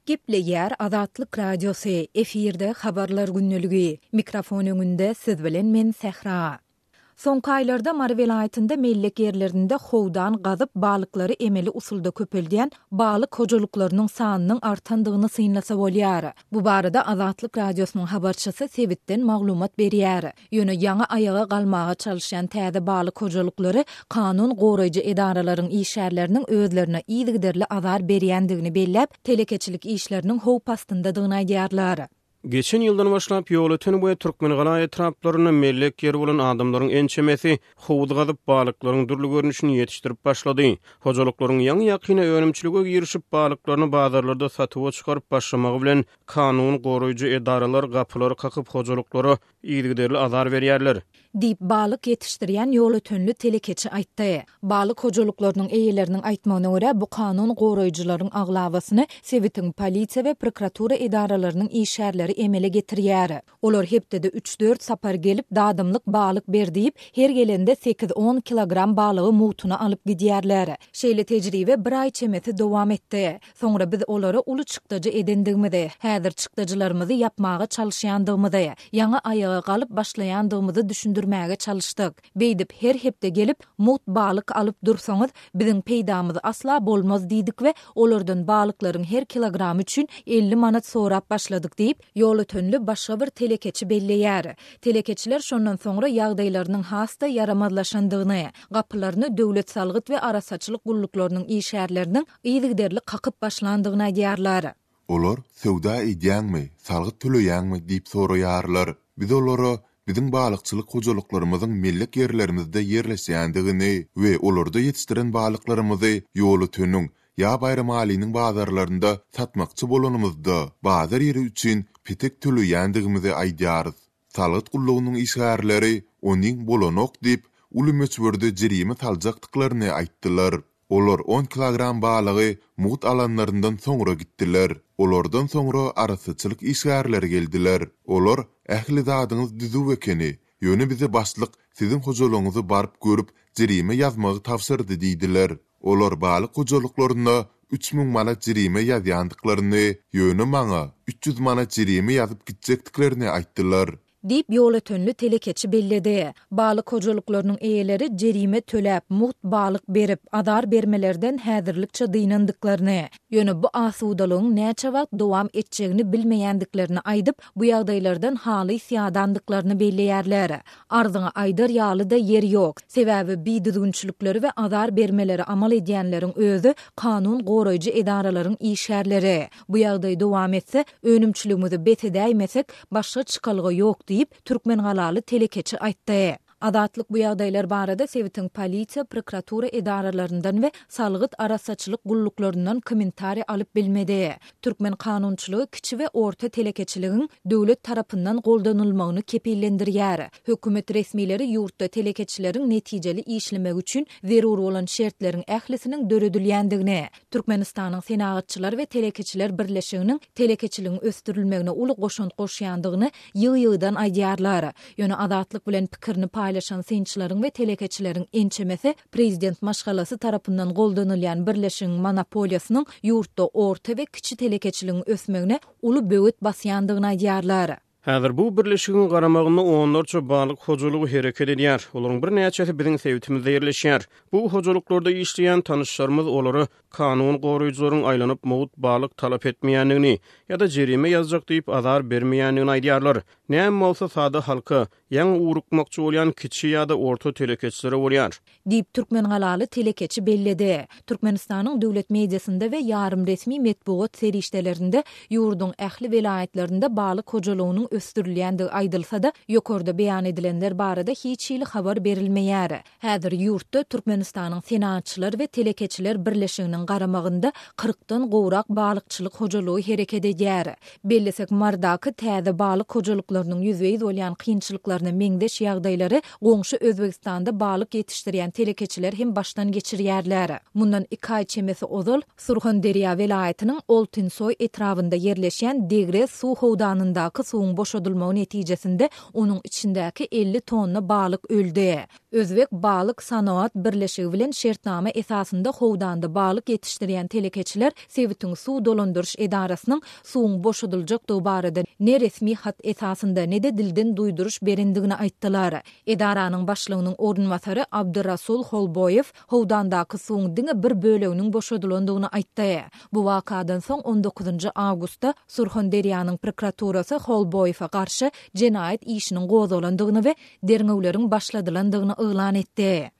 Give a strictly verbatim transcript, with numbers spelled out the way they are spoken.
Gepleýär Azatlyk Radiosy, efirde Habarlar gündeligi. Mikrofon öňünde siz bilen men Sähra. Soňky aýlarda Mary welaýatynda mellek ýerlerinde howdan gazyp balyklary emeli usulda köpeldýän balyk hojalyklarynyň sanynyň artandygyny synlasa bolýar. Bu barada Azatlyk Radiosynyň habarçysy sebitden maglumat berýär. Ýöne ýaňy aýaga galmaga çalyşýan täze balyk hojalyklary kanun goraýjy edaralaryň işgärleriniň özlerine yzygiderli azar berýändigini belläp, telekeçilik işleriniň howp astyndadygyny aýdýarlar. Geçen ýyldan başlap Ýolöten we Türkmengala etraplarynda mellek ýeri bolan adamlaryň ençemesi howuz gazyp balyklaryň dürli görnüşini ýetişdirip başlady. Hojalyklaryň ýaňy-ýakyna önümçilige girişip balyklaryny bazarlarda satuwa çykaryp başlamagy bilen kanun goraýjy edaralar gapylary kakyp hojalyklara yzygiderli azar berýärler. Diýip balyk ýetişdirýän Ýolötenli telekeçi aýtdy. Balyk hojalyklarynyň eýeleriniň aýtmagyna görä, bu kanun goraýjylaryň aglabasyny sebitiň polisiýa we prokuratura edaralarynyň işgärleri emele getirýär. Olar hepdede üç-dört sapar gelip dadymlyk balyk ber diýip, her gelende sekiz-on kilogram balygy mugtuna alyp gidýärler. Şeýle tejribe bir aý çemesi dowam etdi. Soňra biz olara uly çykdajy edendigimizi, häzir çykdajylarymyzy ýapmaga çalyşýandygymyzy, ýaňy aýaga galyp başlaýandygymyzy düşündirmäge çalyşdyk. Beýdip her hepde gelip mugt balyk alyp dursaňyz, biziň peýdamyz asla bolmaz diýdik we olardan balyklaryň her kilogramy üçin elli manat sorap başladyk diýip, Ýolötenli başga bir telekeçi belleýär. Telekeçiler şondan soňra ýagdaýlarynyň has-da ýaramazlaşandygyny, gapylaryny döwlet salgyt we arassaçylyk gulluklarynyň işgärleriniň yzygiderli kakyp başlandygyny aýdýarlar. Olar söwda edýäňmi, salgyt töleýäňmi diýip soraýarlar. Biz olara biziň balykçylyk hojalyklarymyzyň mellek ýerlerimizde ýerleşýändigini we olarda ýetişdiren balyklarymyzy Ýolöteniň ýa Baýramalynyň bazarlarynda satmakçy bolanymyzda bazar ýeri üçin petek töleýändigimizi aýdýarys. Salgyt gullugynyň işgärleri onuň bolanok diýip, uly möçberde jerime saljakdyklaryny aýtdylar. Olar on kilogram balygy mugt alanlaryndan soňra gitdiler. Olardan soňra arassaçylyk işgärleri geldiler. Olar ähli zadyňyz düzüw ekeni, ýöne bize başlyk siziň hojalygyňyzy baryp görüp jerime ýazmagy tabşyrdy diýdiler. Olar balyk hojalyklaryna üç müň manat jerime ýazýandyklaryny, ýöne maňa üç ýüz manat jerime ýazyp gitjekdiklerini aýtdylar. Diýip Ýolötenli telekeçi belledi. Balyk hojalyklarynyň eýeleri jerime töläp, mugt balyk berip, azar bermelerden häzirlikçe dynandyklaryny, ýöne bu asudalygyň näçe wagt dowam etjegini bilmeýändiklerini aýdyp, bu ýagdaýlardan halys ýadandyklaryny belleýärler. Arzyňy aýdar ýaly-da ýer ýok. Sebäbi bidüzgünçilikleri we azar bermeleri amal edýänleriň özi kanun goraýjy edaralaryň işgärleri. Bu ýagdaý dowam etse, önümçiligimizi bes edäýmesek, başga çykalga ýok diýip, Türkmengalaly telekeçi aýtdy. Azatlyk bu ýagdaýlar barada sebitiň polisiýa, prokuratura edaralaryndan we salgyt arassaçylyk gulluklaryndan kommentariý alyp bilmedi. Türkmen kanunçylygy kiçi we orta telekeçiligiň döwlet tarapyndan goldanylmagyny kepillendirýär. Hökümet resmileri ýurtda telekeçileriň netijeli işlemegi üçin zerur bolan şertleriň ählisiniň döredilýändigini, Türkmenistanyň Senagatçylar we Telekeçiler Birleşiginiň telekeçiligiň ösdürilmegine uly goşant goşýandygyny ýygy-ýygydan aýdýarlar. Ýöne Azatlyk bilen pikirini paýlaşan synçylaryň we telekeçileriň ençemesi prezident maşgalasy tarapyndan goldanylýan birleşigiň monopoliýasynyň ýurtda orta we kiçi telekeçiligiň ösmegine uly böwet basýandygyny aýdýarlar. Häzir bu birleşigiň garamagynda onlarça balyk hojalygy hereket edýär. Olaryň birnäçesi biziň sebitimizde ýerleşýär. Bu hojalyklarda işleýän tanyşlarymyz olara kanun goraýjylaryň aýlanyp mugt balyk talap etmeýändigini ýa-da jerime ýazjak diýip azar bermeýändigini aýdýarlar. Näme bolsa sada halka, ýaňy ugrukmakçy bolýan kiçi ýa-da orta telekeçilere bolýar. Diýip Türkmengalaly telekeçi belledi. Türkmenistanyň döwlet mediasynda we ýarym resmi metbugat serişdelerinde ýurduň ähli welaýatlarynda balyk hojalygynyň ösdürilýändigi aýdylsa-da, ýokarda beýan edilenler barada hiç hili habar berilmeýär. Häzir ýurtda Türkmenistanyň Senagatçylar we Telekeçiler Birleşiginiň garamagynda kyrkdan gowrak balykçylyk hojalygy hereket edýär. Bellesek, Mardaky täze balyk hojalyklarynyň ýüzbe-ýüz bolýan kynçylyklaryna meňzeş ýagdaýlary goňşy Özbegistanda balyk ýetişdirýän telekeçiler hem başdan geçirýärler. Mundan iki aý çemesi ozal Surhanderýa welaýatynyň Oltinsoý etrabynda ýerleşýän Degre suw howdanyndaky suwuň boşadylmagy netijesinde onuň içindäki elli tonna balyk öldi. Özbek balyk sanoat birleşigi bilen şertnama esasynda howdanda balyk ýetişdirýän telekeçiler sebitiň suw dolandyryş edarasynyň suwuň boşadyljakdygy barada ne resmi hat esasynda, ne-de dilden duýduryş berendigini aýtdylar. Edaranyň başlygynyň orunbasary Abdyrasul Holboýew howdandaky suwuň diňe bir böleginiň boşadylandygyny aýtdy. Bu wakadan soň on dokuzynjy awgustda Surhonderýanyň prokuraturasy Holboýewe garşy jenaýat işiniň gozgalandygyny we derňewleriň başladylandygyny yglan etdi.